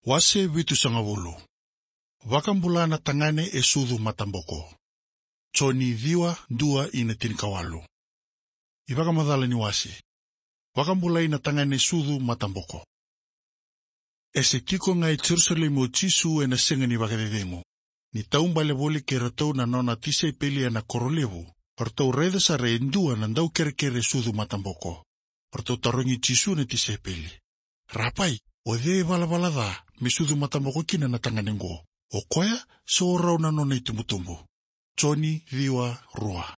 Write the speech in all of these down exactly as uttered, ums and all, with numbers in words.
Wase vitusagavulu. Vakabula na tagane e sucu mataboko. Joni ciwa, dua ina tinikawalu. iVakamacala ni wase. Vakabulai na tagane sucu mataboko. E se tiko ga e Jerusalemi o Jisu ena sega ni vakacecegu, ni taubale voli kei ratou na nona tisaipeli ena koro levu. O ratou raica sara e dua na daukerekere sucu mataboko. O ratou tarogi Jisu na tisaipeli: "Rapai, o cei e valavala ca me sucu mataboko kina na tagane qo? O koya se o rau na nona itubutubu?" Joni ciwa, rua.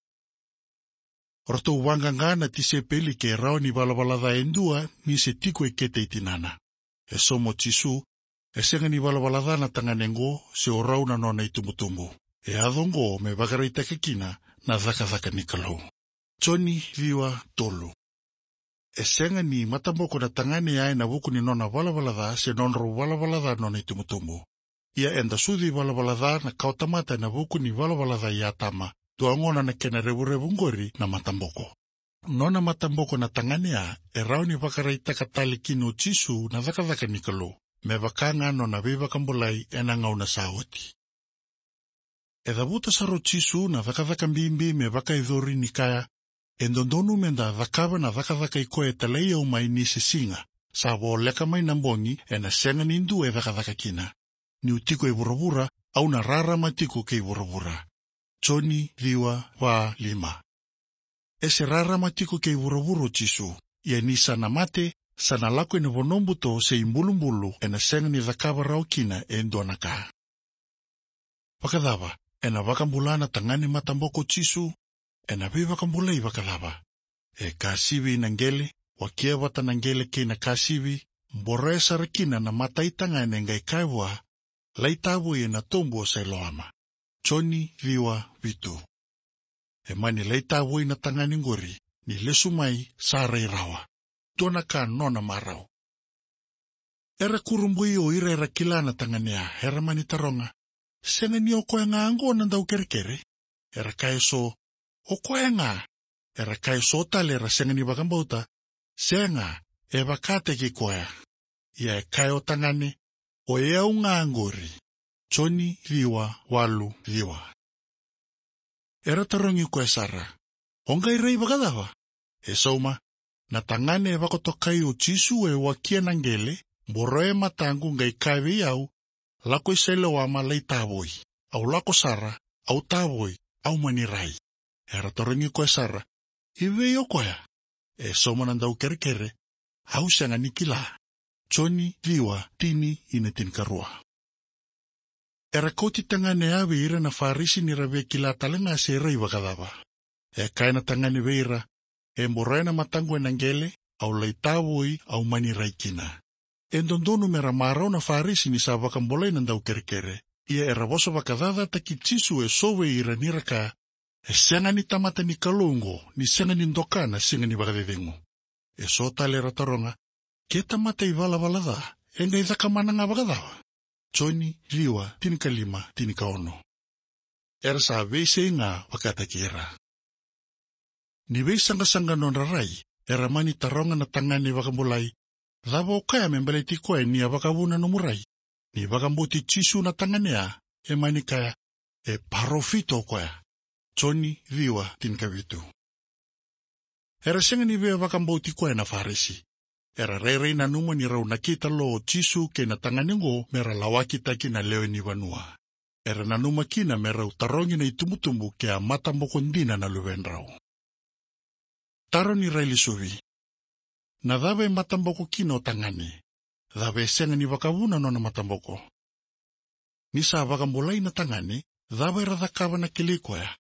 O ratou vaqaqa na tisaipeli ke rawa ni valavala ca e dua ni se tiko e kete i tinana. E sauma o Jisu: "E sega ni valavala ca na tagane qo se o rau na nona itubutubu. E yaco qo me vakaraitaka kina na cakacaka ni Kalou." Joni ciwa, tolu. E sega ni mataboko na tagane ya ena vuku ni nona valavala ca se nodrau valavala ca nona itubutubu. Ia eda sucu ivalavala ca na kawatamata ena vuku ni valavala ca i Atama. Dua gona na kena revurevu qori na mataboko. Nona mataboko na tagane ya e rawa ni vakaraitaka tale kina o Jisu na cakacaka ni Kalou, me vaka ga nona veivakabulai ena gauna sa oti. E cavuta sara o Jisu na cakacaka bibi me vakayacori ni kaya: "E dodonu meda cakava na cakacaka i koya e talai au mai ni se siga. Sa voleka mai na bogi, ena sega ni dua e cakacaka kina. Niu tiko e vuravura, au na rarama tiko kei vuravura." Joni ciwa, va, lima. E se rarama tiko kei vuravura o Jisu. Ia ni sa na mate, sa na lako ina vanua buto se ibulubulu, ena sega ni cakava rawa kina e dua na ka. Vakacava ena vakabula na tagane mataboko o Jisu? Ena veivakabulai vakacava? E kasivi ina qele, wakia vata na qele kei na kasivi, boroya sara kina na mata i tagane qai kaya vua: "Lai tavoi ena tobu o Sailoama." Joni ciwa, vitu. E mani lai tavoi na tagane qori, ni lesu mai sa rai rawa. Dua na ka nona marau. Era kurabui o ira era kila na tagane ya, era mani taroga: "Sega ni o koya ga qo na daukerekere?" Era kaya eso: "O koya ga." Era kaya eso tale era sega ni vakabauta: "Sega, e vakataki koya." Ia e kaya o tagane: "O yau ga qori." Joni ciwa, walu, ciwa. Era tarogi koya sara: "O qai rai vakacava?" E sauma: "Na tagane e vakatokai o Jisu e wakia na qele, boroya e mataqu qai kaya vei au: 'Lako i Sailoama, lai tavoi.' Au lako sara, au tavoi, au mani rai." Era tarogi koya sara: "I vei o koya?" E sauma na daukerekere: "Au sega ni kila." Joni ciwa, tini ina tinikarua. Era kauti tagane ya vei ira na Farisi ni ra via kila tale ga se rai vakacava. E kaya na tagane vei ira: "E boroya na mataqu ena qele, au lai tavoi, au mani rai kina." E dodonu mera marau na Farisi ni sa vakabulai na daukerekere. Ia era vosa vakacacataki Jisu eso vei ira ni ra kaya: "E sega ni tamata ni Kalou qo, ni sega ni doka na siga ni vakacecegu." Eso tale era taroga: "Ke tamata ivalavala ca, e qai cakamana ga vakacava?" Joni ciwa, tinikalima, tinikaono. Era sa veisei ga vakataki ira. Ni veisaqasaqa nodra rai, era mani taroga na tagane vakabulai: "Cava o kaya me baleti koya ni a vakavuna nomu rai?" Ni vakabauti Jisu na tagane ya, e mani kaya: "E parofita o koya." Joni ciwa, tinikavitu. Era sega ni via vakabauti koya na Farisi. Era rairai nanuma ni rau nakita lo o Jisu kei na tagane qo mera lawakitaki na lewe ni vanua. Era nanuma kina me rau tarogi na itubutubu ke a mataboko dina na luvedrau. Taro ni railesuvi. Na cava e mataboko kina o tagane? Cava e sega ni vakavuna nona mataboko? Ni sa vakabulai na tagane, cava era cakava na kilai koya?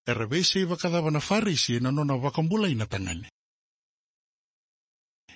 Era veisei vakacava na Farisi ena nona vakabulai na tagane?